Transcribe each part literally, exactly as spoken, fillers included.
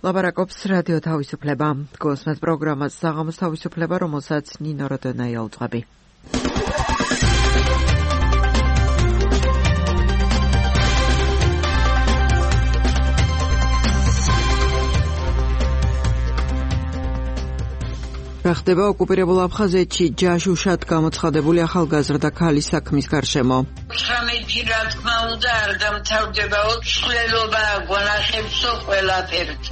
ლაპარაკობს რადიო თავისუფლება. გოსმეთ პროგრამას საღამოს თავისუფლება, რომელსაც ნინო როდონაია უძღვები. რა ხდება ოკუპირებულ აფხაზეთში ჯაშუშად გამოცხადებული ახალგაზრდა ქალის საქმის გარშემო? ცხრამეტი რა თქმა უნდა არ დამთავრდებაო, ცვლილობა გვანახებსო ყველაფერთ.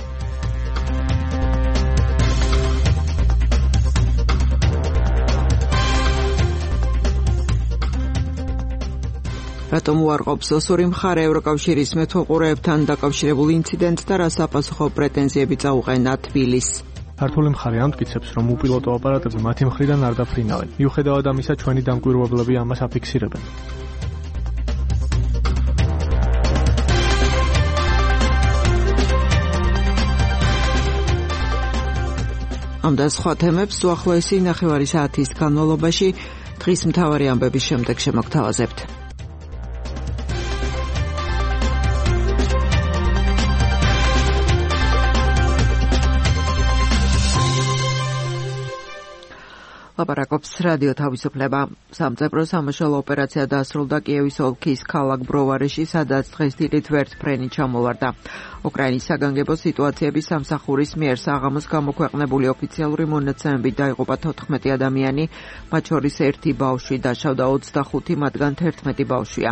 რატომ უარყოფს ოსური მხარე ევროკავშირის მეთვალყურეებთან დაკავშირებულ ინციდენტს და რა საპასუხო პრეტენზიები წაუყენა თბილისს? ქართული მხარე ამტკიცებს, რომ უპილოტო აპარატები მათი მხრიდან არ დაფრინავენ. მიუხედავად ამისა, ჩვენი დამკვირვებლები ამას აფიქსირებენ. ამ და სხვა თემებს უახლოესი ნახევარი საათის განმავლობაში დღის მთავარი ამბების შემდეგ შემოგთავაზებთ. ლაპარაკობს რადიო თავისუფლება. სამწებრო სამაშველო ოპერაცია დასრულდა კიევის ოლქის ქალაქ ბროვარეში, სადაც დღეს დილით ვერტფრენი ჩამოვარდა. უკრაინის საგანგებო სიტუაციების სამსახურის მიერ საღამოს გამოქვეყნებული ოფიციალური მონაცემებით დაიღუპა თოთხმეტი ადამიანი, მათ შორის ერთი ბავშვი, დაშავდა ოცდახუთი, მათგან თერთმეტი ბავშვია.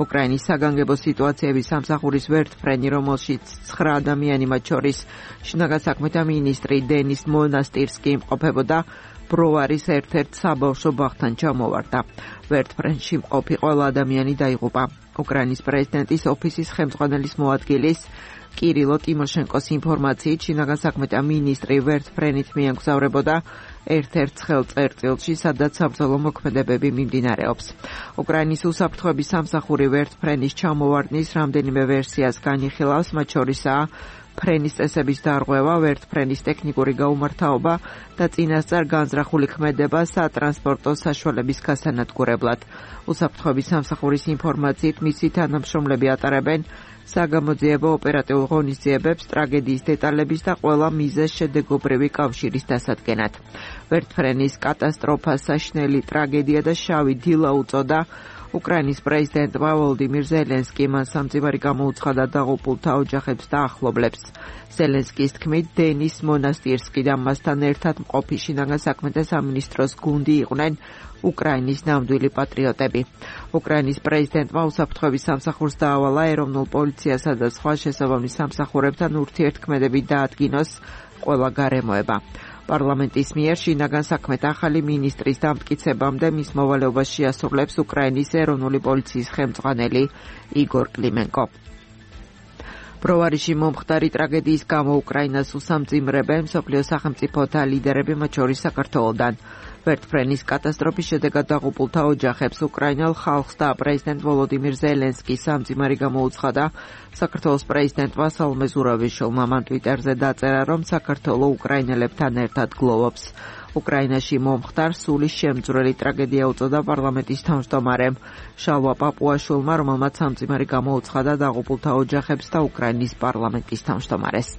უკრაინის საგანგებო სიტუაციების სამსახურის ვერტფრენი, რომელშიც ცხრა ადამიანი, მათ შორის შინაგან საქმეთა მინისტრი დენის მონასტირსკი იმყოფებოდა, ბროვარის ერთ-ერთ საბავშვო ბაღთან ჩამოვარდა. ვერტფრენში მყოფი ყველა ადამიანი დაიღუპა. უკრაინის პრეზიდენტის ოფისის ხელმძღვანელის მოადგილის კირილო ტიმოშენკოს ინფორმაციით, შინაგან საქმეთა მინისტრი ვერტფრენით მიემგზავრებოდა ერთ-ერთ ხელწერტილში, სადაც საბრძოლო მოქმედებები მიმდინარეობს. უკრაინის უსაფრთხოების სამსახური ვერტფრენის ჩამოვარდნის რამდენიმე ვერსიას განიხილავს, მათ შორისაა ფრენის წესების დარღვევა, ვერტფრენის ტექნიკური გაუმართავობა და წინასწარ განზრახული ქმედება სატრანსპორტო საშუალების გასანადგურებლად. უსაფრთხოების სამსახურის ინფორმაციით, მისი თანამშრომლები ატარებენ საგამოძიებო ოპერატიულ ღონისძიებებს, ტრაგედიის დეტალების და ყველა მიზეზ შედეგობრივი კავშირის დასადგენად. ვერტფრენის კატასტროფას საშინელი ტრაგედია და შავი დილა უწოდა. უკრაინის პრეზიდენტმა ვოლოდიმირ ზელენსკი მან სამძიმარი გამოუცხადა დაღუპულთა ოჯახებს და ახლობლებს. ზელენსკის თქმით, დენის მონასტირსკი და მასთან ერთად მყოფი შინაგან საქმეთა სამინისტროს გუნდი იყვნენ უკრაინის ნამდვილი პატრიოტები. უკრაინის პრეზიდენტმა უსაფრთხოების სამსახურს დაავალა ეროვნულ პოლიციასა და სხვა შესაბამის სამსახურებთან ურთიერთქმედები დაადგინოს ყველა გარემოება. პარლამენტის მიერ შინაგან საქმეთა ახალი მინისტრის დამტკიცებამდე მის მოვალეობას შეასრულებს უკრაინის ეროვნული პოლიციის ხელმძღვანელი იგორ კლიმენკო. ბროვარიში მომხდარი ტრაგედიის გამო უკრაინას უსამძიმრებენ მსოფლიო სახელმწიფოთა ლიდერები, მათ შორის საქართველოდან. ვერტფრენის კატასტროფის შედეგად დაღუპულთა ოჯახებს, უკრაინელ ხალხს და პრეზიდენტ ვოლოდიმირ ზელენსკი სამძიმარი გამოუცხადა. საქართველოს პრეზიდენტმა სალომე ზურავიშვილმა მან ტვიტერზე დაწერა, რომ საქართველო უკრაინელებთან ერთად გლოვობს. უკრაინაში მომხდარ სულის შემძვრელი ტრაგედია უწოდა პარლამენტის თავმჯდომარემ შალვა პაპუაშვილმა, რომელმაც სამძიმარი გამოუცხადა დაღუპულთა ოჯახებს და უკრაინის პარლამენტის თავმჯდომარეს.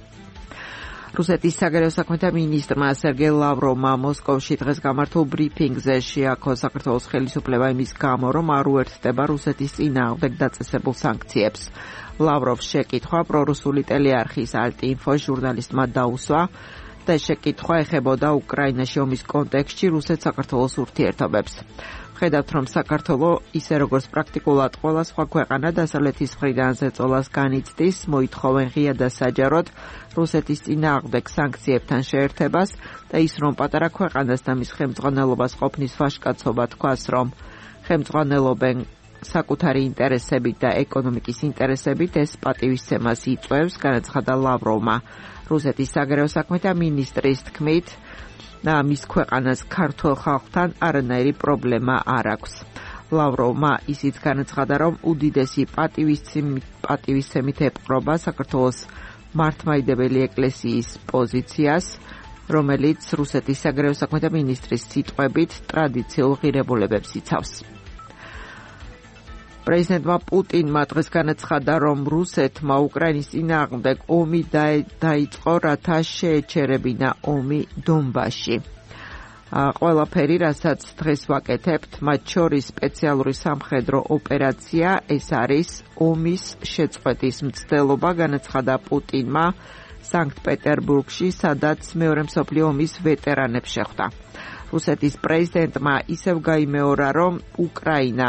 რუსეთის საგარეო საქმეთა მინისტრმა სერგეი ლავროვმა მოსკოვში დღეს გამართულ ბრიფინგზე შეაქო საქართველოს ხელისუფლება იმის გამო, რომ არ უერთდება რუსეთის წინააღმდეგ დაწესებულ სანქციებს. ლავროვს შეკითხვა პრორუსული ტელეარხის ალტინფო ჟურნალისტმა დაუსვა და შეკითხვა ეხებოდა უკრაინაში ომის კონტექსტში რუსეთ-საქართველოს ურთიერთობებს. ხედავთ, რომ საქართველო ისე როგორც პრაქტიკულად ყველა სხვა ქვეყანა დასავლეთის მხრიდან ზეწოლას განიცდის, მოითხოვენ ღია და საჯაროდ რუსეთის წინააღმდეგ სანქციებთან შეერთებას და ის რომ პატარა ქვეყანას და მის ხელმძღვანელობას ყოფნის ვაჟკაცობა თქვას, რომ ხელმძღვანელობენ საკუთარი ინტერესებით და ეკონომიკის ინტერესებით, ეს პატივისცემას იწვევს, განაცხადა ლავროვმა. რუსეთის საგარეო საქმეთა მინისტრის თქმით, და მის ქვეყანას ქართულ ხალხთან არანაირი პრობლემა არ აქვს. ლავროვმა ისიც განაცხადა, რომ უდიდესი პატივისცემით ეპყრობა საქართველოს მართლმადიდებელი ეკლესიის პოზიციას, რომელიც რუსეთის საგარეო საქმეთა მინისტრის სიტყვებით ტრადიციულ ღირებულებებს იცავს. პრეზიდენტმა პუტინმა დღეს განაცხადა, რომ რუსეთმა უკრაინის წინააღმდეგ ომი დაიწყო, რათა შეეჩერებინა ომი დონბასში. ყველაფერი, რასაც დღეს ვაკეთებთ, მათ შორის სპეციალური სამხედრო ოპერაცია, ეს არის ომის შეწყვეტის მცდელობა, განაცხადა პუტინმა სანქტ-პეტერბურგში, სადაც მეორე მსოფლიო ომის ვეტერანებს შეხვდა. რუსეთის პრეზიდენტმა ისევ გაიმეორა, რომ უკრაინა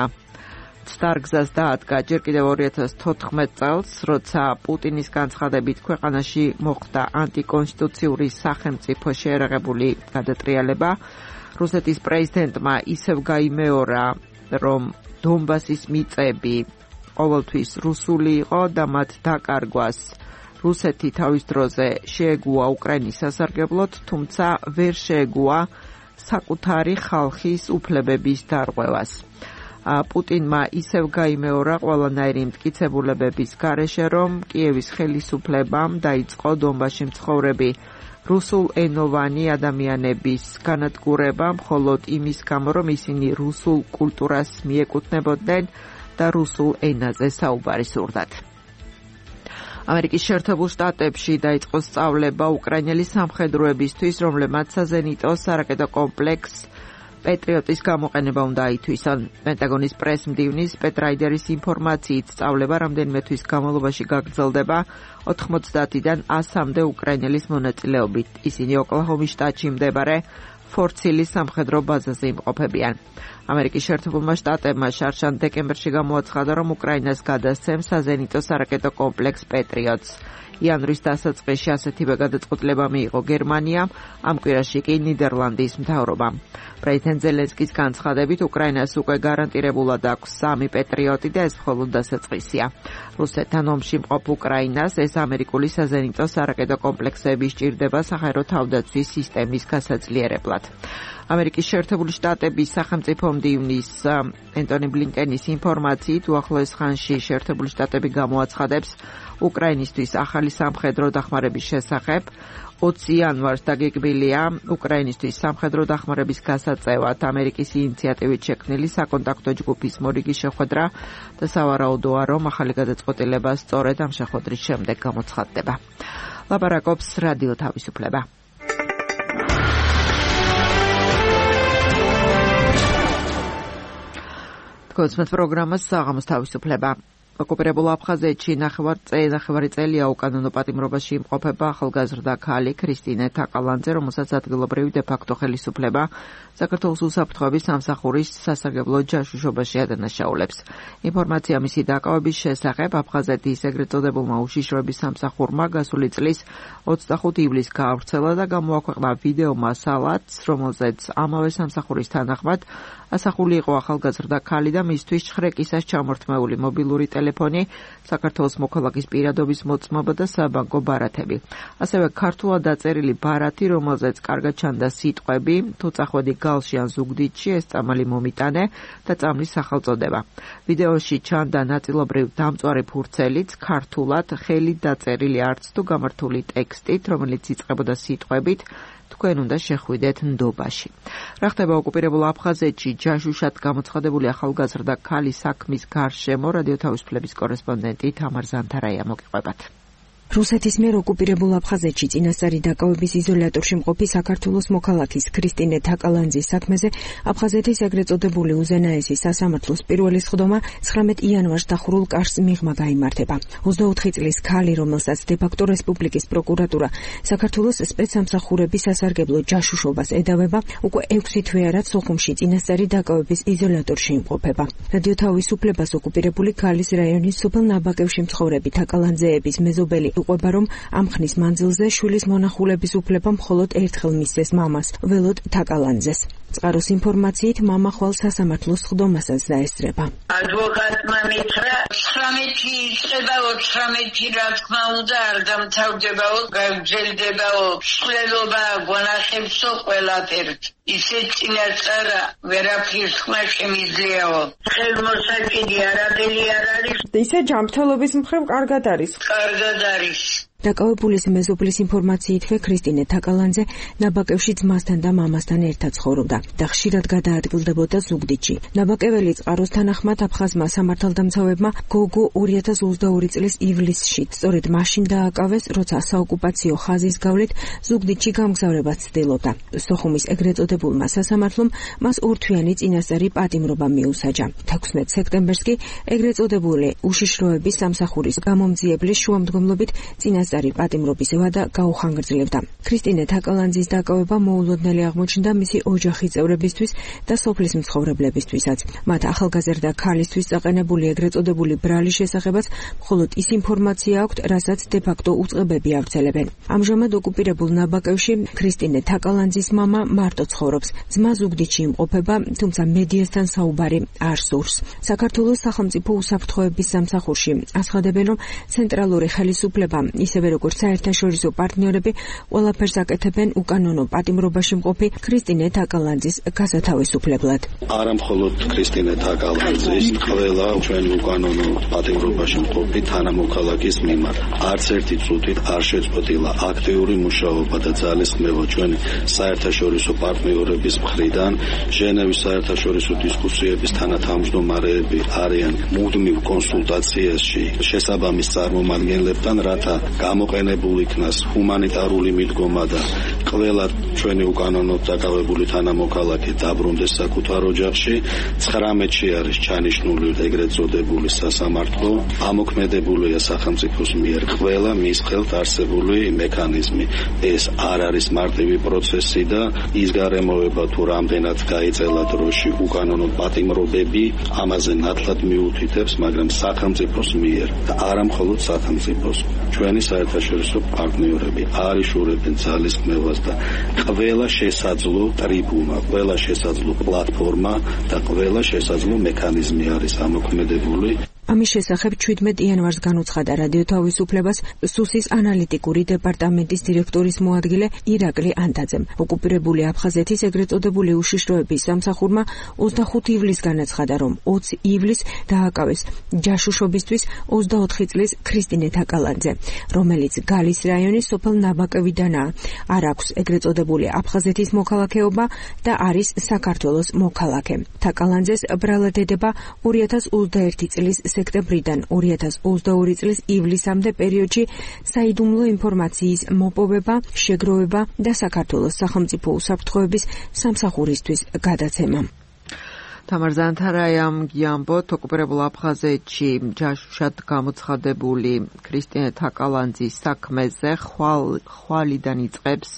სტარგზას დაადგა ჯერ კიდევ ორი ათას თოთხმეტ წელს, როცა პუტინის განცხადებით ქვეყანაში მოხდა ანტიკონსტიტუციური სახელმწიფო შეერაღებული გადატრიალება. რუსეთის პრეზიდენტმა ისევ გაიმეორა, რომ დონბასის მიწები ყოველთვის რუსული იყო და მათ დაკარგვას რუსეთი თავის დროზე შეეგუა უკრაინის სასარგებლოდ, თუმცა ვერ შეეგუა საკუთარი ხალხის უფლებების დარღვევას. პუტინმა ისევ გაიმეორა ყველანაირი მტკიცებულებების გარეშე, რომ კიევის ხელისუფლებამ დაიწყო დონბასში მცხოვრები რუსულენოვანი ადამიანების განადგურება, მხოლოდ იმის გამო, რომ ისინი რუსულ კულტურას მიეკუთვნებოდნენ და რუსულ ენაზე საუბარი სურდათ. ამერიკის შეერთებულ შტატებში დაიწყო სწავლება უკრაინელი სამხედროებისთვის, რომლებმაც საზენიტო სარაკეტო კომპლექს პეტრიოტის გამოყენება უნდა აითვისონ. პენტაგონის პრეს-მდივნის პეტ რაიდერის ინფორმაციით, სწავლება რამდენიმე თვის განმავლობაში გაგრძელდება ოთხმოცდაათიდან ასამდე უკრაინელის მონაწილეობით. ისინი ოკლაჰომის შტატში მდებარე ფორცილის სამხედრო ბაზაზე იმყოფებიან. ამერიკის შეერთებულმა შტატებმა შარშან დეკემბერში გამოაცხადა, რომ უკრაინას გადასცემს საზენიტო სარაკეტო კომპლექს პეტრიოტს. იანვრის დასაწყისში ასეთივე გადაწყვეტილება მიიღო გერმანიამ, ამ კვირაში კი ნიდერლანდის მთავრობამ. პრეზიდენტ ზელენსკის განცხადებით, უკრაინას უკვე გარანტირებულად აქვს სამი პეტრიოტი და ეს მხოლოდ დასაწყისია. რუსეთთან ომში მყოფ უკრაინას ეს ამერიკული საზენიტო სარაკეტო კომპლექსები სჭირდება საჰაერო თავდაცვის სისტემის გასაძლიერებლად. ამერიკის შეერთებული შტატების სახელმწიფო მდივნის ენტონი ბლინკენის ინფორმაციით, უახლოეს ხანში შეერთებული შტატები გამოაცხადებს უკრაინისთვის ახალი სამხედრო დახმარების შესახებ. ოცი იანვარს დაგეგმილია უკრაინისთვის სამხედრო დახმარების გასაწევად ამერიკის ინიციატივით შექმნილი საკონტაქტო ჯგუფის მორიგის შეხვედრა და სავარაუდოა, რომ ახალი გადაწყვეტილება სწორედ ამ შეხვედრის შემდეგ გამოცხადდება. ლაპარაკობს რადიო თავისუფლება. გოსმეთ პროგრამას საღამოს თავისუფლება. ოკუპირებულ აფხაზეთში ნახევარი წელია უკანონო პატიმრობაში იმყოფება ახალგაზრდა ქალი ქრისტინე თაყალანძე, რომელსაც ადგილობრივი დე-ფაქტო ხელისუფლება საქართველოს უსაფრთხოების სამსახურის სასარგებლო ჯაშუშობაში ადანაშაულებს. ინფორმაცია მისი დაკავების შესახებ აფხაზეთის ეგრეთ წოდებულმა უშიშროების სამსახურმა გასული წლის ოცდახუთი ივლისს გაავრცელა და გამოაქვეყნა ვიდეო მასალაც, რომელზეც ამავე სამსახურის თანახმად ასახული იყო ახალგაზრდა ქალი და მისთვის ჩხრეკისას ჩამორთმეული მობილური ტელეფონი, საქართველოს მოქალაქის პირადობის მოწმობა და საბანკო ბარათები. ასევე ქართულად დაწერილი ბარათი, რომელზეც კარგად ჩანდა სიტყვები, თუ წახვედი გალში ან ზუგდიდში, ეს წამალი მომიტანე და წამლის სახელწოდება. ვიდეოში ჩანდა ნაწილობრივ დამწვარი ფურცელიც, ქართულად ხელით დაწერილი არც თუ გამართული ტექსტით, რომელიც იწყებოდა სიტყვებით თქვენ უნდა შეხვიდეთ ნდობაში. რა ხდება ოკუპირებულ აფხაზეთში ჯაშუშად გამოცხადებული ახალგაზრდა ქალის საქმის გარშემო რადიო თავისუფლების კორესპონდენტი თამარ ზანთარაია მოგიყვებათ. რუსეთის მიერ ოკუპირებულ აფხაზეთში წინასწარი დაკავების იზოლატორში მყოფი საქართველოს მოქალაქის ქრისტინე თაყალანძის საქმეზე აფხაზეთის ეგრეთ წოდებული უზენაესი სასამართლოს პირველი სხდომა ცხრამეტ იანვარს დახურულ კარს მიღმა გაიმართება. ოცდაოთხი წლის ქალი, რომელსაც დე-ფაქტო რესპუბლიკის პროკურატურა საქართველოს სპეცსამსახურების სასარგებლო ჯაშუშობას ედავება, უკვე ექვსი თვე არა სოხუმში წინასწარი დაკავების იზოლატორში იმყოფება. რადიო თავისუფლებას ოკუპირებული ქალის რაიონის სოფელ ნაბაკევში მცხოვრები თაყალანძეების მეზობელი უყვება, რომ ამ ხნის მანძილზე შვილის მონახულების უფლება მხოლოდ ერთხელ მისცეს მამას, ველოდ თაყალანძეს. წყაროს ინფორმაციით, მამა ხვალ სასამართლოს სხდომასაც დაესწრება. ადვოკატმა მითხრა, ცხრამეტი იწყება, ოცდაოთხი რა თქმა უნდა არ დამთავრდებაო, გაგრძელდებაო, ცვლილობა გვანახებსო ყველაფერთ. ისე წინასწარა ვერაფრის ხმა შემიძლიაო. ხელმოსაკიდი არაფერი არ არის. ისე ჯანმრთელობის მხრივ კარგად არის. კარგად არის. დაკავებულის მეზობლის ინფორმაციით, ქრისტინე თაკალანძე ნაბაკევში ძმასთან და მამასთან ერთად ცხოვრობდა და ხშირად გადაადგილდებოდა ზუგდიდში. ნაბაკეველი წყაროს თანახმად აფხაზმა სამართალდამცავებმა გოგო ორი ათას ოცდაორი წლის ივლისში სწორედ მაშინ დააკავეს, როცა საოკუპაციო ხაზის გავლით ზუგდიდში გამგზავრება ცდილობდა. სოხუმის ეგრეთ წოდებულმა სასამართლომ მას ორთვიანი წინასწარი პატიმრობა მიუსაჯა. თექვსმეტ სექტემბერს კი ეგრეთ წოდებული უშიშროების სამსახურის გამომძიებლის შუამდგომლობით წინასწარი პატიმრობის ვადა გაუხანგრძლივდა. ქრისტინე თაკალანძის დაკავება მოულოდნელი აღმოჩნდა მისი ოჯახის წევრებისთვის და სოფლის მცხოვრებლებისთვისაც. მათ ახალგაზრდა ქალისთვის წაყენებული ეგრეთ წოდებული ბრალის შესახებაც მხოლოდ ის ინფორმაცია აქვთ, რასაც de facto უწყებები ავრცელებენ. ამჟამად ოკუპირებულ ნაბაკევში ქრისტინე თაკალანძის მამა მარტო ცხოვრობს. ძმა ზუგდიდში იმყოფება, თუმცა მედიასთან საუბარი არ სურს. საქართველოს სახელმწიფო უსაფრთხოების სამსახურში აცხადებენ, რომ ცენტრალური ხელისუფლება, ისევე როგორც საერთაშორისო პარტნიორები, ყველაფერს აკეთებენ უკანონო პატიმრობაში მყოფი ქრისტინე თაკალანძის გასათავისუფლებლად. არა მხოლოდ ქრისტინე თაკალანძის, ყველა ჩვენი უკანონო პატიმრობაში მყოფი თანამოქალაქის მიმართ არც ერთი წუთით არ შეწყვეტილა აქტიური მუშაობა და ძალისხმევა ჩვენი საერთაშორისო პარტნიორების მხრიდან. ჟენევის საერთაშორისო დისკუსიების თანათავმჯდომარეები არიან მუდმივ კონსულტაციაში შესაბამის წარმომადგენლებთან, რათა გამოყენებულ იქნას ჰუმანიტარული მიდგომა და ყველა ჩვენი უკანონოდ დაკავებული თანამოქალაქე დაბრუნდეს საკუთარ ოჯახში. ცხრამეტში არის ჩანიშნული ეგრეთ წოდებული სასამართლო. ამოქმედებულია სახელმწიფოს მიერ ყველა მის ხელთ არსებული მექანიზმი. ეს არ არის მარტივი პროცესი და ის გარემოება თუ რამდენად გაიწელა დროში უკანონო პატიმრობები ამაზე ნათლად მიუთითებს, მაგრამ სახელმწიფოს მიერ და არა მხოლოდ სახელმწიფოს, ჩვენი საერთაშორისო პარტნიორები არიშურებენ ძალისხმევას და ყველა შესაძლო ტრიბუნა, ყველა შესაძლო პლატფორმა და ყველა შესაძლო მექანიზმი არის ამოქმედებული. ამის შესახებ შვიდმეტ იანვარს განუცხადა რადიო თავისუფლებას სუსის ანალიტიკური დეპარტამენტის დირექტორის მოადგილე ირაკლი ანტაძემ. ოკუპირებული აფხაზეთის ეგრეთ წოდებული უშიშროების სამსახურმა ოცდახუთი ივლისს განაცხადა, რომ ოცი ივლისს დააკავეს ჯაშუშობისთვის ოცდაოთხი წლის ქრისტინე თაკალანძე, რომელიც გალის რაიონის სოფელ ნაბაკევიდანაა. არ აქვს ეგრეთ წოდებული აფხაზეთის მოქალაქეობა და არის საქართველოს მოქალაქე. თაკალანძეს ბრალად ედება ორი ათას ოცდაერთი წლის სექტემბრიდან ორი ათას ოცდაორი წლის ივლისამდე პერიოდში საიდუმლო ინფორმაციის მოპოვება, შეგროვება და საქართველოს სახელმწიფო უსაფრთხოების სამსახურისთვის გადაცემა. თამარ ზანთარაიამ გიამბოთ, ოკუპირებულ აფხაზეთში ჯაშუშად გამოცხადებული ქრისტინე თაკალანძის საქმეზე ხვალიდან იწყებს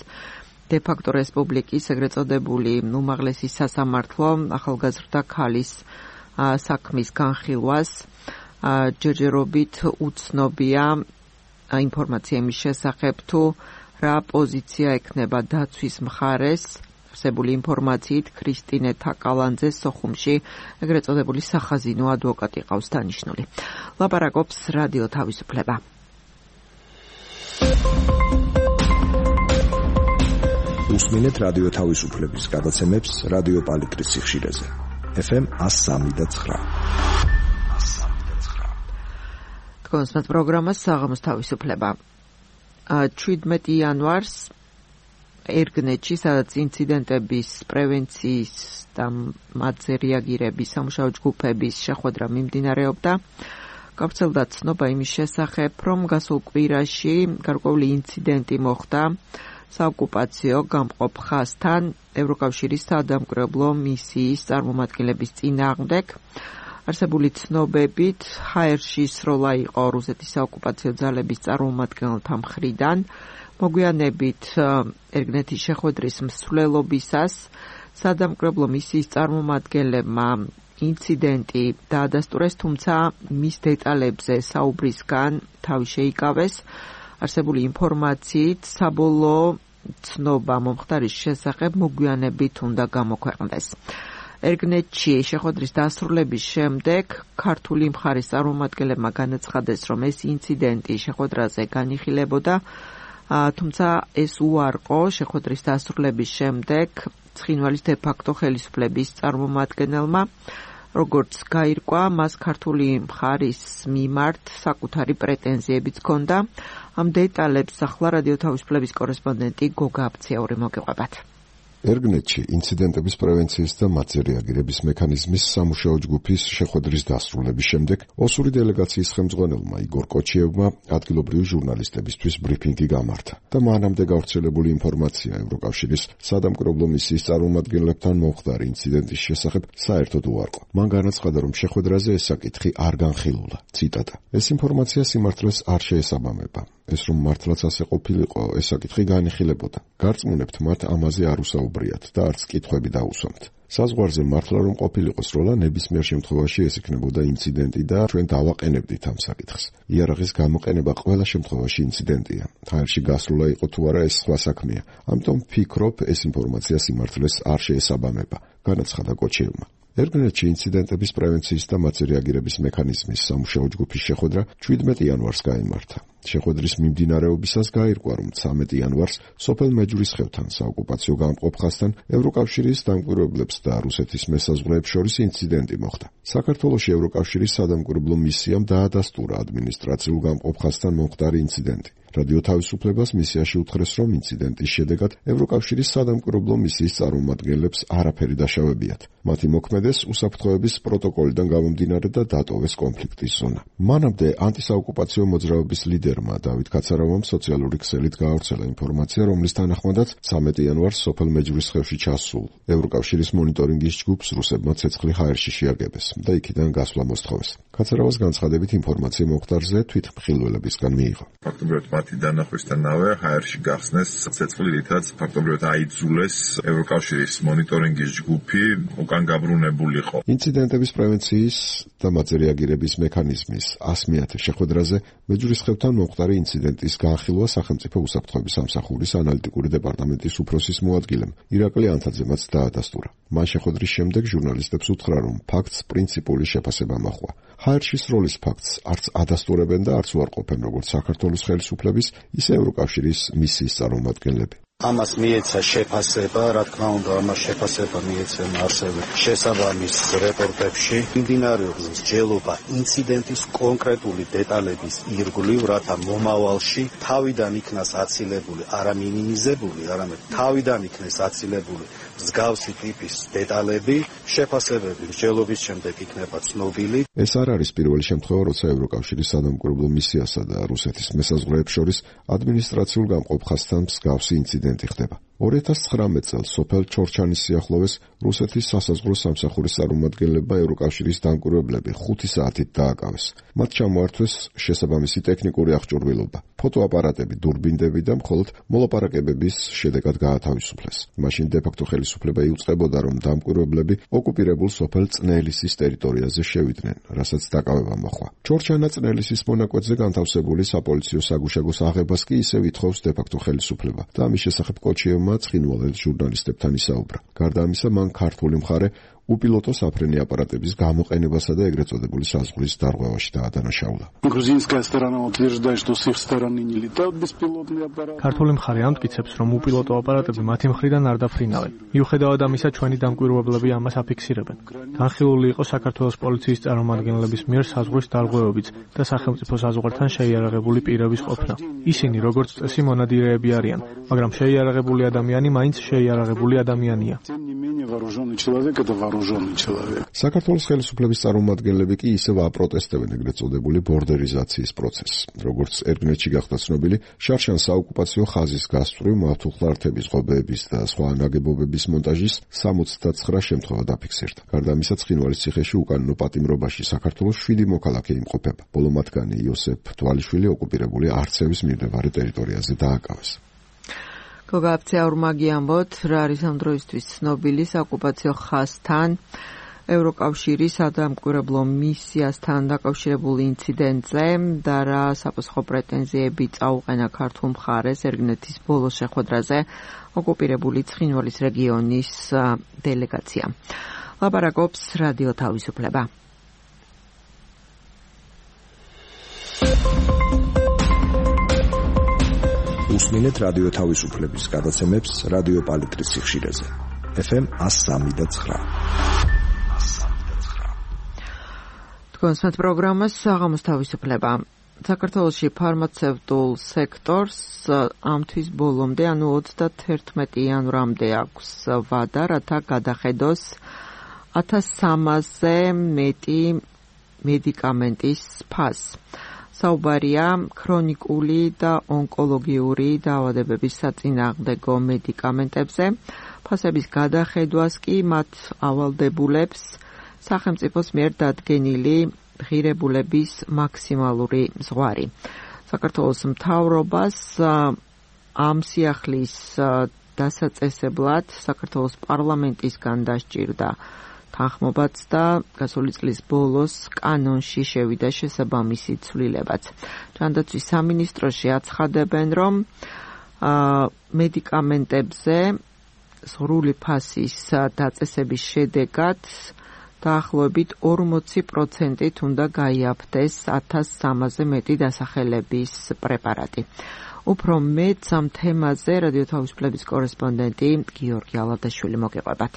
de facto რესპუბლიკის ეგრეთ წოდებული უმაღლესი სასამართლო ახალგაზრდა ქალის საქმის განხილვას. ჯერჯერობით უცნობია ინფორმაცია იმის შესახებ, თუ რა პოზიცია ექნება დაცვის მხარეს არსებული ინფორმაციით ქრისტინე თაკალანძეს სოხუმში ეგრეთ წოდებული სახაზინო ადვოკატი ყავს დანიშნული. ლაპარაკობს რადიო თავისუფლება. უსმინეთ რადიო თავისუფლების გადაცემებს რადიო პალიტრის სიხშირეზე. ეფ ემ one oh three point nine. თქვენს პროგრამას საღამოს თავისუფლება. შვიდმეტ იანვარს ერგნეთში, სადაც ინციდენტების პრევენციის და მათზე რეაგირების სამუშაო ჯგუფების შეხვედრა მიმდინარეობდა, გავრცელდა ცნობა იმის შესახებ, რომ გასულ კვირაში გარკვეული ინციდენტი მოხდა საოკუპაციო გამყოფ ხაზთან ევროკავშირის საადამკვირვებლო მისიის წარმომადგენლების წინააღმდეგ. არსებული ცნობებით, ჰაერში სროლა იყო რუსეთის საოკუპაციო ძალების წარმომადგენელთა მხრიდან. მოგვიანებით ერგნეთის შეხვედრის მსვლელობისას საადამკვირვებლო მისიის წარმომადგენლებმა ინციდენტი დაადასტურეს, თუმცა მის დეტალებზე საუბრისგან თავი შეიკავეს. არსებული ინფორმაციით საბოლოო ცნობა მომხდარის შესახებ მოგვიანებით უნდა გამოქვეყნდეს. ერგნეთში შეხვედრის დასრულების შემდეგ ქართული მხარის წარმომადგენლებმა განაცხადეს, რომ ეს ინციდენტი შეხვედრაზე განიხილებოდა, თუმცა ეს უარყო შეხვედრის დასრულების შემდეგ ცხინვალის de facto ხელისუფლების წარმომადგენელმა, როგორც გაირკვა, მას ქართული მხარის მიმართ საკუთარი პრეტენზიებიც ჰქონდა. ამ დეტალებს ახლა რადიო თავისუფლების კორესპონდენტი გოგა აბცეური მოგიყვებათ. ერგნეტში ინციდენტების პრევენციის და მათზე რეაგირების მექანიზმის სამუშაო ჯგუფის შეხვედრის დასრულების შემდეგ ოსური დელეგაციის ხელმძღვანელმა იგორ კოჩიევმა ადგილობრივი ჟურნალისტებისთვის ბრიფინგი გამართა და მანამდე გავრცელებული ინფორმაცია ევროკავშირის სადამკვირვებლო მისიის წარმომადგენლებთან მომხდარი ინციდენტის შესახებ საერთოდ უარყო. მან განაცხადა, რომ შეხვედრაზე ეს საკითხი არ განხილულა. ციტატა: ეს ინფორმაცია სიმართლეს არ შეესაბამება. ეს რომ მართლაც ასე ყოფილიყო, ეს საკითხი განიხილებოდა. გარწმუნებთ მათ ამაზე არ უსაუბრიათ და არც კითხვები დაუსვამთ. საზღვარზე მართლა რომ ყოფილიყო სროლა, ნებისმიერ შემთხვევაში ეს იქნებოდა ინციდენტი და ჩვენ დავაყენებდით ამ საკითხს. იარაღის გამოყენება ყველა შემთხვევაში ინციდენტია. ჰაერში გასვლა იყო თუ არა, ეს სხვა საქმეა. ამიტომ ვფიქრობ, ეს ინფორმაცია სიმართლეს არ შეესაბამება, განაცხადა კოჩიევმა. ერგნეტში ინციდენტების პრევენციის და მათზე რეაგირების მექანიზმის სამუშაო ჯგუფის შეხვედრა შვიდმეტი იანვარს გაიმართა. შეხვედრის მიმდინარეობისას გაირკვა, რომ ცამეტი იანვარს სოფელ მეჯვრისხევთან საოკუპაციო გამყოფ ხაზთან ევროკავშირის დამკვირვებლებს და რუსეთის მესაზღვრეებს შორის ინციდენტი მოხდა. საქართველოში ევროკავშირის სადამკვირვებლო მისიამ დაადასტურა ადმინისტრაციულ გამყოფ ხაზთან მომხდარი ინციდენტი. რადიო თავისუფლებას მისიაში უთხრეს, რომ ინციდენტის შედეგად ევროკავშირის სადამკვირვებლო მისიის წარმომადგენლებს არაფერი დაშავებიათ. მათი მოქმედეს უსაფრთხოების პროტოკოლიდან გამომდინარე და დატოვეს კონფლიქტის ზონა. მანამდე ანტისაოკუპაციო მოძრაობის ლიდერმა დავით კაცარავამ სოციალური ქსელით გაავრცელა ინფორმაცია, რომლის თანახმადაც ცამეტი იანვარს სოფელ მეჯვრისხევში ჩასულ ევროკავშირის მონიტორინგის ჯგუფს რუსებმა ცეცხლი ჰაერში შეაგებეს და იქიდან გასვლა მოსთხოვეს. კაცარავას განცხადებით ინფორმაცია მომხდარზე თვითმხილველებისგან მიიღო. ფაქტობრივად მათი დანახვისთანავე ჰაერში გახსნეს ცეცხლი, რითაც ფაქტობრივად აიძულეს ევროკავშირის მონიტორინგის ჯგუფი უკან გაბრუნებულიყო. ინციდენტების პრევენციის და მათზე რეაგირების მექანიზმის ასმეათე შეხვედრაზე მეჯვრისხევთან მომხდარი ინციდენტის განხილვა სახელმწიფო უსაფრთხოების სამსახურის ანალიტიკური დეპარტამენტის უფროსის მოადგილემ ირაკლი ანთაძემაც დაადასტურა. მან შეხვედრის შემდეგ ჟურნალისტებს უთხრა, რომ ფაქტს პრინციპული შეფასება მოჰყვა. ჰაერში სროლის ფაქტს არც ადასტურებენ და არც უარყოფენ როგორც საქართველოს ხელისუფლების, ისე ევროკავშირის მისიის წარმომადგენლები. ამას მიეცა შეფასება, რა თქმა უნდა, ამას შეფასება მიეცემა ასევე შესაბამის რეპორტებში. მიმდინარეობს მსჯელობა ინციდენტის კონკრეტული დეტალების ირგვლივ, რათა მომავალში თავიდან იქნას აცილებული, არა მინიმიზებული, არამედ თავიდან იქნეს აცილებული მსგავსი ტიპის დეტალები, შეფასებები მსჯელობის შემდეგ იქნება ცნობილი. ეს არ არის პირველი შემთხვევა, როცა ევროკავშირის სადამკვირვებლო მისიასა და რუსეთის მესაზღვრეებს შორის ადმინისტრაციულ გამყოფ ხაზთან მსგავსი ინციდენტი ხდება. ორი ათას ცხრამეტ წელს სოფელ ჩორჩანის სიახლოვეს რუსეთის სასაზღვრო სამსახურის წარმომადგენლებმა ევროკავშირის დამკვირვებლები ხუთი საათით დააკავეს. მათ ჩამოართვეს შესაბამისი ტექნიკური აღჭურვილობა, ფოტოაპარატები, დურბინდები და მხოლოდ მოლაპარაკებების შედეგად გაათავისუფლეს. მაშინ დე-ფაქტო ხელისუფლება იუწყებოდა, რომ დამკვირვებლები ოკუპირებულ სოფელ წნელისის ტერიტორიაზე შევიდნენ, რასაც დაკავება მოჰყვა. ჩორჩანა წნელისის მონაკვეთზე განთავსებული საპოლიციო საგუშაგოს აღებას კი ისევ ითხოვს დე-ფაქტო ხელისუფლება და ამის შესახებ კოჩიევმა ცხინვალელ ჟურნალისტებთან ისაუბრა. გარდა ამისა, მან ქართული მხარე უპილოტო საფრენი აპარატების გამოყენებასა და ეგრეთ წოდებული საზღვრის დარღვევაში დაადანაშაულა. ქართული მხარე ამტკიცებს, რომ უპილოტო აპარატები მათი მხრიდან არ დაფრინავენ. მიუხედავად ამისა, ჩვენი დამკვირვებლები ამას აფიქსირებენ. განხილული იყო საქართველოს პოლიციის წარმომადგენლების მიერ საზღვრის დარღვევებიც და სახელმწიფო საზღვართან შეიარაღებული პირების ყოფნა. ისინი, როგორც წესი, მონადირეები არიან, მაგრამ შეიარაღებული ადამიანი მაინც შეიარაღებული ადამიანია. საქართველოს ხელისუფლების წარმომადგენლები კი ისევ აპროტესტებენ ეგრეთ წოდებული ბორდერიზაციის პროცესს. როგორც ერგნეტში გახდა ცნობილი, შარშან საოკუპაციო ხაზის გასწვრივ მავთულხლართების, ღობეების და სხვა ნაგებობების მონტაჟის სამოცდაცხრა შემთხვევა დაფიქსირდა. გარდა ამისა, ცხინვალის ციხეში უკანონო პატიმრობაში საქართველოს შვიდი მოქალაქე იმყოფება. ბოლო მათგანი იოსებ თვალიშვილი ოკუპირებული არცევის მიმდებარე ტერიტორიაზე დააკავეს. გოგა აბცეურმა გიამბოთ, რა არის ამ დროისთვის ცნობილი საოკუპაციო ხაზთან ევროკავშირის სადამკვირვებლო მისიასთან დაკავშირებული ინციდენტზე და რა საფოსხო პრეტენზიები წაუყენა ქართულ მხარეს ერგნეთის ბოლო შეხვედრაზე ოკუპირებული ცხინვალის რეგიონის დელეგაციამ. ლაპარაკობს რადიო თავისუფლება. უსმინეთ რადიო თავისუფლების გადაცემებს რადიო პალიტრის სიხშირეზე. ეფ ემ one oh three და nine. თქვენს პროგრამას საღამოს თავისუფლება. საქართველოში ფარმაცევტულ სექტორს ამ თვის ბოლომდე, ანუ ოცდათერთმეტი იანვრამდე აქვს ვადა, რათა გადახედოს ათას სამასზე მეტი მედიკამენტის ფასს. საუბარია ქრონიკული და ონკოლოგიური დაავადებების საწინააღმდეგო მედიკამენტებზე. ფასების გადახედვას კი მათ ავალდებულებს სახელმწიფოს მიერ დადგენილი ღირებულების მაქსიმალური ზღვარი. საქართველოს მთავრობას ამ სიახლის დასაწესებლად საქართველოს პარლამენტისგან დასჭირდა თანხმობაც და გასული წლის ბოლოს კანონში შევიდა შესაბამისი ცვლილებაც. ჯანდაცვის სამინისტროში აცხადებენ, რომ მედიკამენტებზე სრული ფასის დაწესების შედეგად დაახლოებით ორმოცი პროცენტით უნდა გაიაფთეს ათას სამასზე მეტი დასახელების პრეპარატი. უფრო მეტ ამ თემაზე რადიო თავისუფლების კორესპონდენტი გიორგი ალადაშვილი მოგეყვებათ.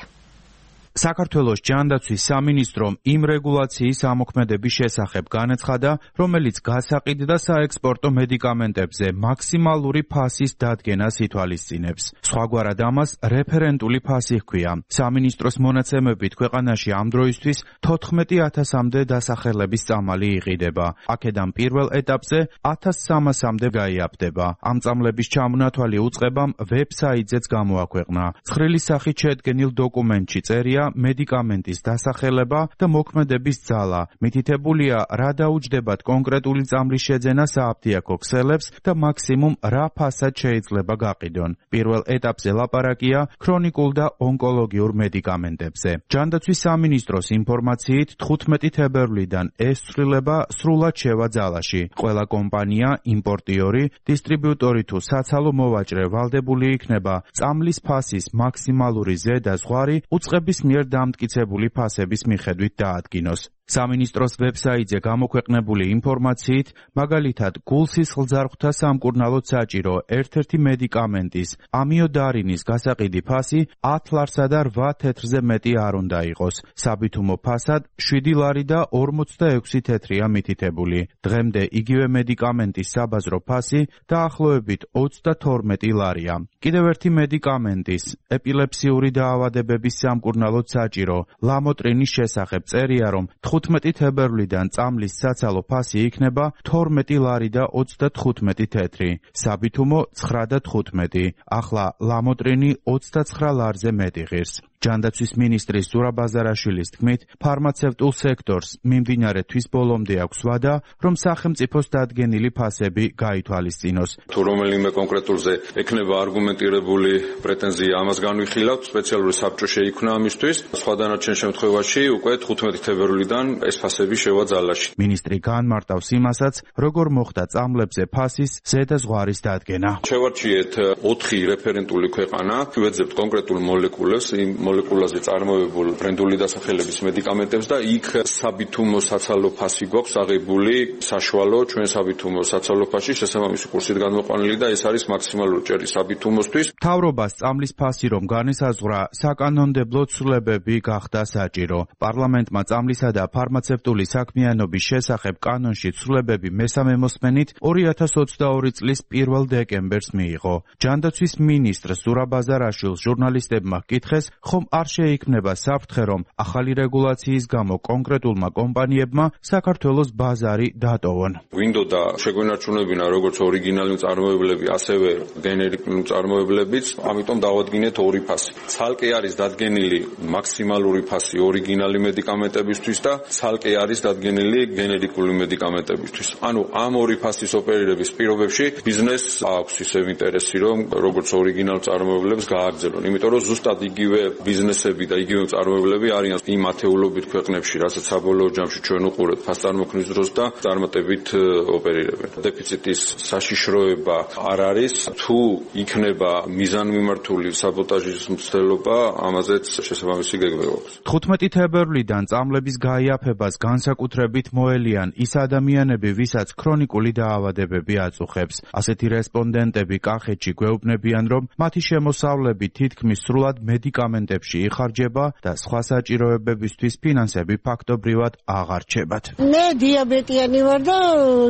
საქართველოს ჯანდაცვის სამინისტრომ იმ რეგულაციის ამოქმედების შესახებ განაცხადა, რომელიც გასაყიდ და საექსპორტო მედიკამენტებზე მაქსიმალური ფასის დადგენას ითვალისწინებს. სხვაგვარად ამას რეფერენტული ფასი ჰქვია. სამინისტროს მონაცემებით ქვეყანაში ამ დროისთვის თოთხმეტი ათასამდე დასახელების წამალი იყიდება. აქედან პირველ ეტაპზე ათას სამასამდე გაიაფდება. ამ წამლების ჩამონათვალი უწყებამ ვებსაიტზეც გამოაქვეყნა. ცხრილი სახით შედგენილ დოკუმენტში წერია მედიკამენტის დასახელება და მოქმედების ძალა. მითითებულია, რა დაუჯდებათ კონკრეტული წამლის შეძენა სააფთიაქო ქსელებს და მაქსიმუმ რა ფასად შეიძლება გაყიდონ. პირველ ეტაპზე ლაპარაკია ქრონიკულ და ონკოლოგიურ მედიკამენტებზე. ჯანდაცვის სამინისტროს ინფორმაციით თხუთმეტი თებერვლიდან ეს ცვლილება სრულად შევა ძალაში. ყველა კომპანია, იმპორტიორი, დისტრიბიუტორი თუ საცალო მოვაჭრე ვალდებული იქნება წამლის ფასის მაქსიმალური ზედა ზღვარი უწყების მიერ დამტკიცებული ფასების მიხედვით დაადგინოს. სამინისტროს ვებსაიტზე გამოქვეყნებული ინფორმაციით, მაგალითად, გულსისხლძარღვთა სამკურნალოდ საჭირო ერთ-ერთი მედიკამენტის ამიოდარინის გასაყიდი ფასი ათ ლარსა და რვა თეთრზე მეტი არ უნდა იყოს. საბითუმო ფასად შვიდი ლარი და ორმოცდაექვსი თეთრია მითითებული. დღემდე იგივე მედიკამენტის საბაზრო ფასი დაახლოებით ოცდათორმეტი ლარია. კიდევ ერთი მედიკამენტის ეპილეფსიური დაავადებების სამკურნალოდ საჭირო ლამოტრინის შესახებ წერია, რომ თხუთმეტი თებერვლიდან წამლის საცალო ფასი იქნება თორმეტი ლარი და ოცდათხუთმეტი თეთრი. საბითუმო ცხრა და თხუთმეტი. ახლა ლამოტრინი ოცდაცხრა ლარზე მეტი ღირს. ჯანდაცვის მინისტრის ზურაბ ბაზარაშვილის თქმით, ფარმაცევტულ სექტორს მიმდინარე თვის ბოლომდე აქვს ვადა, რომ სახელმწიფოს დადგენილი ფასები გაითვალისწინოს. თუ რომელიმე კონკრეტულზე ექნება არგუმენტირებული პრეტენზია, ამას განვიხილავთ, სპეციალური საბჭო შეიქმნა ამისთვის. სხვა დანარჩენ შემთხვევაში უკვე თხუთმეტი თებერვლიდან ეს ფასები შევა ძალაში. მინისტრი განმარტავს იმასაც, როგორ მოხდა წამლებზე ფასის ზედა ზღვარის დადგენა. შევარჩიეთ ოთხი რეფერენტული ქვეყანა, ვეძებთ კონკრეტულ მოლეკულებს, იმ მოლეკულაზე წარმოებულ ბრენდული დასახელების მედიკამენტებს და იქ საბითუმო საცალო ფასი გვაქვს აღებული საშუალო ჩვენ საბითუმო საცალო ფასში შესაბამისი კურსით გამოყვანილი და ეს არის მაქსიმალური ჭერი საბითუმოსთვის. მთავრობას წამლის ფასი რომ განესაზღვრა, საკანონმდებლო ცვლილებები გახდა საჭირო. პარლამენტმა წამლისა და ფარმაცევტული საქმიანობის შესახებ კანონში ცვლილებები მესამე მოსმენით ორი ათას ოცდაორი წლის პირველ დეკემბერს მიიღო. ჯანდაცვის მინისტრ ზურაბ ბაზარაშვილს ჟურნალისტებმა ჰკითხეს, ხომ არ შეიქმნება საფრთხე, რომ ახალი რეგულაციის გამო კონკრეტულმა კომპანიებმა საქართველოს ბაზარი დატოვონ. გვინდოდა შეგვენარჩუნებინა როგორც ორიგინალური მწარმოებლები, ასევე გენერიკული მწარმოებლებიც, ამიტომ დავადგინეთ ორი ფასი. ცალკე არის დადგენილი მაქსიმალური ფასი ორიგინალი მედიკამენტებისთვის და ცალკე არის დადგენილი გენერიკული მედიკამენტებისთვის. ანუ ამ ორი ფასის ოპერირების პირობებში ბიზნესს აქვს ისევ ინტერესი, რომ როგორც ორიგინალ მწარმოებლებს გააგრძელონ, იმიტომ რომ ზუსტად იგივე ბიზნესები და იგივე მწარმოებლები არიან იმ ათეულობით ქვეყნებში, რასაც საბოლოო ჯამში ჩვენ უყურებთ ფასწარმოქმნის დროს და წარმატებით ოპერირებენ. დეფიციტის საშიშროება არ არის, თუ იქნება მიზანმიმართული საბოტაჟის მცდელობა, ამაზეც შესაბამისი გეგმა აქვს. თხუთმეტი თებერვლიდან წამლების გაიაფებას განსაკუთრებით მოელიან ის ადამიანები, ვისაც ქრონიკული დაავადებები აწუხებს. ასეთი რესპონდენტები კახეთში გვეუბნებიან, რომ მათი შემოსავლები თითქმის სრულად მედიკამენტ ევენტებში იხარჯება და სხვა საჭიროებებისთვის ფინანსები ფაქტობრივად აღარ რჩებათ. მე დიაბეტიანი ვარ და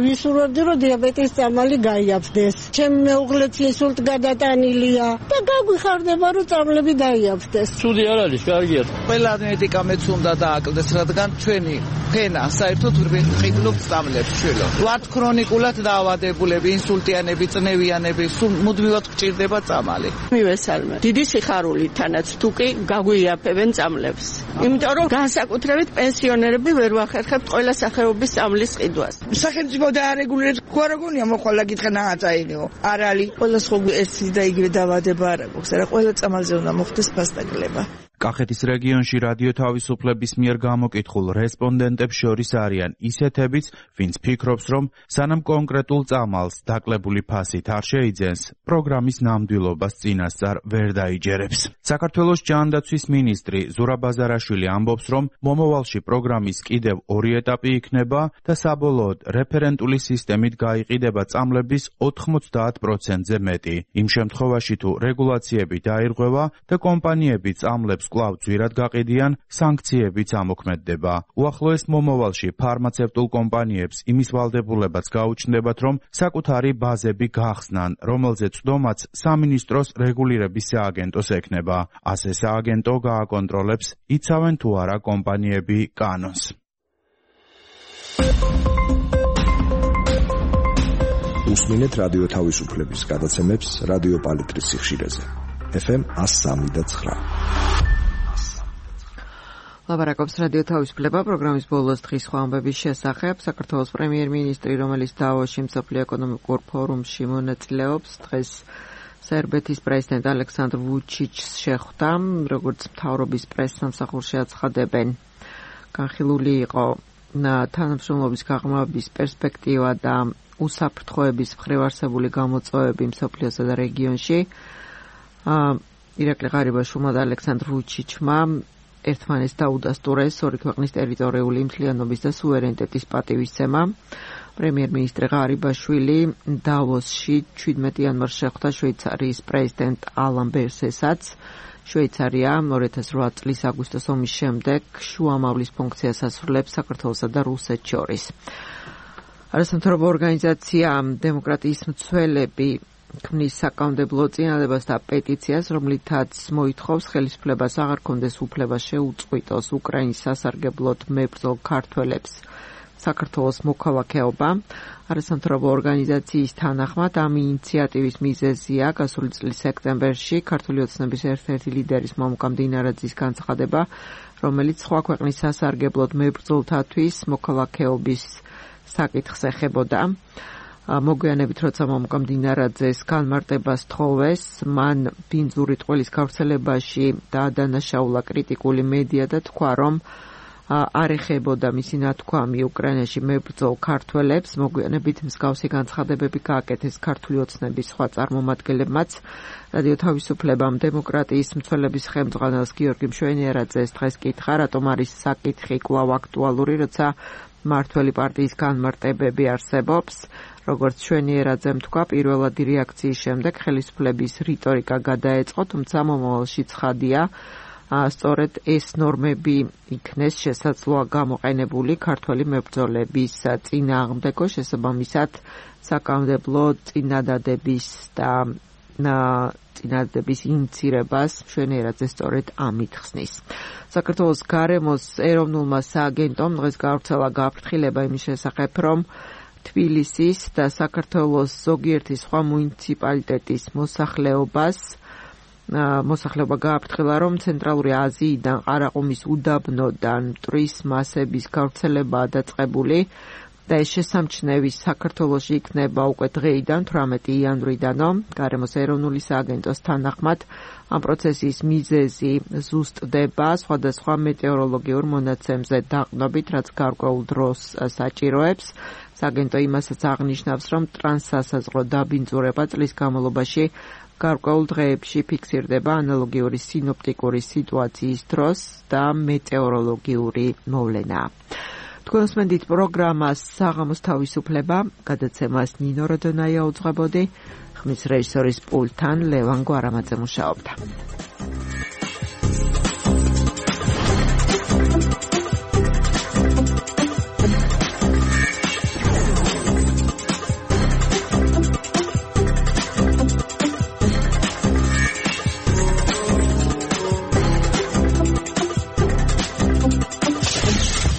ვისურვებდი რომ დიაბეტის წამალი გაიაფრდეს. ჩემი მეუღლეც ინსულტ გადატანილია და გაგვიხარდება რომ წამლები დაიაფრდეს. ცუდი არ არის, კარგია. ყველა მედიკამენტს უნდა დააკლდეს, რადგან ჩვენი ფენა საერთოდ ვიყიდულობთ წამლებს შვილო. ვართ ქრონიკულად დაავადებულები, ინსულტიანები, წნევიანები, სულ მუდმივად გჭირდება წამალი. მივესალმე. დიდი სიხარული თანაც თუკი გაგვიაფებენ წამლებს. იმიტომ რომ განსაკუთრებით პენსიონერები ვერ ვახერხებთ ყველა სახეობის წამლის ყიდვას. სახელმწიფო დაარეგულირებს, ხო რა გონია მოხვალა გითხრა ნააწაინიო. არ არის. ყველა სხვა ეს და იგივე დაავადება არ აქვს. არა ყველა წამალზე უნდა მოხდეს ფასტაკლება. კახეთის რეგიონში რადიო თავისუფლების მიერ გამოკითხულ რესპონდენტებს შორის არიან ისეთებიც, ვინც ფიქრობს, რომ სანამ კონკრეტულ წამალს დაკლებული ფასით არ შეიძენს, პროგრამის ნამდვილობას წინასწარ ვერ დაიჯერებს. საქართველოს ჯანდაცვის მინისტრი ზურაბ აზარაშვილი ამბობს, რომ მომავალში პროგრამის კიდევ ორი ეტაპი იქნება და საბოლოოდ რეფერენტული სისტემით გაიყიდება წამლების ოთხმოცდაათ პროცენტზე მეტი. იმ შემთხვევაში თუ რეგულაციები დაირღვევა და კომპანიები წამლებს კვლავ ძვირად გაყიდიან, სანქციებიც ამოქმედდება. უახლოეს მომავალში ფარმაცევტულ კომპანიებს იმის ვალდებულებაც გაუჩნდებათ, რომ საკუთარი ბაზები გახსნან, რომელზეც წვდომაც სამინისტროს რეგულირების სააგენტოს ექნება. ასე სააგენტო გააკონტროლებს, იცავენ თუ არა კომპანიები კანონს. უსმინეთ რადიო თავისუფლების გადაცემებს რადიო პალიტრის სიხშირეზე. ეფ ემ one oh three point nine. ლაპარაკობს რადიო თავისუფლება პროგრამის ბოლოს დღის სხვა ამბების შესახებ. საქართველოს პრემიერ-მინისტრი, რომელიც დავოსში მსოფლიო ეკონომიკურ ფორუმში მონაწილეობს, დღეს სერბეთის პრეზიდენტ ალექსანდრ ვუჩიჩს შეხვდა, როგორც მთავრობის პრესსამსახურში აცხადებენ. განხილული იყო თანამშრომლობის გაღრმავების პერსპექტივა და უსაფრთხოების მხრივ არსებული გამოწვევები მსოფლიოსა და რეგიონში. ირაკლი ღარიბაშვილმა და ალექსანდრ ვუჩიჩმა ერთმანეთს დაუდასტურეს ორი ქვეყნის ტერიტორიული მთლიანობის და სუვერენიტეტის პატივისცემა. პრემიერ-მინისტრი ღარიბაშვილი დავოსში ჩვიდმეტ იანვარს შეხვდა შვეიცარიის პრეზიდენტ ალან ბერსესაც. შვეიცარია ორი ათას ოთხ წლის აგვისტოს ომის შემდეგ შუამავლის ფუნქციას ასრულებს საქართველოსა და რუსეთს შორის. არასამთავრობო ორგანიზაცია დემოკრატიის მცველები ქმნის საკანონმდებლო წინადადებას და პეტიციას, რომლითაც მოითხოვს ხელისუფლებას აღარ კონდეს უფლება შეუწყვიტოს უკრაინის სასარგებლოდ მებრძოლ ქართველებს საქართველოს მოქალაქეობა. არასამთავრობო ორგანიზაციის თანახმად ამ ინიციატივის მიზეზია გასული წლის სექტემბერში ქართული ოცნების ერთ-ერთი ლიდერის მომკამ დინარაძის განცხადება, რომელიც სხვა ქვეყნის სასარგებლოდ მებრძოლთათვის მოქალაქეობის საკითხს ეხებოდა. მოგვიანებით, როცა მომკამ დინარაძეს განმარტებას თხოვეს, მან ბინძური ტყუილის გავრცელებაში დაადანაშაულა კრიტიკული მედია და თქვა, რომ არ ეხებოდა მისი ნათქვამი უკრაინაში მებრძოლ ქართველებს. მოგვიანებით მსგავსი განცხადებები გააკეთეს ქართული ოცნების სხვა წარმომადგენლებმაც. რადიო თავისუფლებამ დემოკრატიის მცველების ხელმძღვანელს გიორგი მშვენიერაძეს დღეს კითხა, რატომ არის საკითხი კვლავ აქტუალური, როცა მმართველი პარტიის განმარტებები არსებობს. როგორც მშვენიერაძემ თქვა, პირველადი რეაქციის შემდეგ ხელისუფლების რიტორიკა გადაეწყო, თუმცა მომავალში ცხადია, სწორედ ეს ნორმები იქნეს შესაძლოა გამოყენებული ქართველი მებრძოლების წინააღმდეგო, შესაბამისად საკანონმდებლო წინადადების და წინადადების ინიცირებას მშვენიერაძე სწორედ ამით ხსნის. საქართველოს გარემოს ეროვნულმა სააგენტომ დღეს გავრცელა გაფრთხილება იმის შესახებ, რომ თბილისის და საქართველოს ზოგიერთი სხვა მუნიციპალიტეტის მოსახლეობას მოსახლეობა გააფრთხილა, რომ ცენტრალური აზიიდან ყარაყუმის უდაბნოდან მტვრის მასების გავრცელებაა დაწყებული და ეს შესამჩნევი საქართველოში იქნება უკვე დღეიდან, თვრამეტი იანვრიდანო. გარემოს ეროვნული სააგენტოს თანახმად ამ პროცესის მიზეზი ზუსტდება სხვადასხვა მეტეოროლოგიურ მონაცემზე დაყნობით, რაც გარკვეულ დროს საჭიროებს. სააგენტო იმასაც აღნიშნავს, რომ ტრანსსასაზღვრო დაბინძურება წლის განმავლობაში გარკვეულ დღეებში ფიქსირდება ანალოგიური სინოპტიკური სიტუაციის დროს და მეტეოროლოგიური მოვლენაა. თქვენ უსმენთ პროგრამას საღამოს თავისუფლება, გადაცემას ნინო როდონაია უძღვებოდი, ხმის რეჟისორის პულტთან ლევან გვარამაძე მუშაობდა.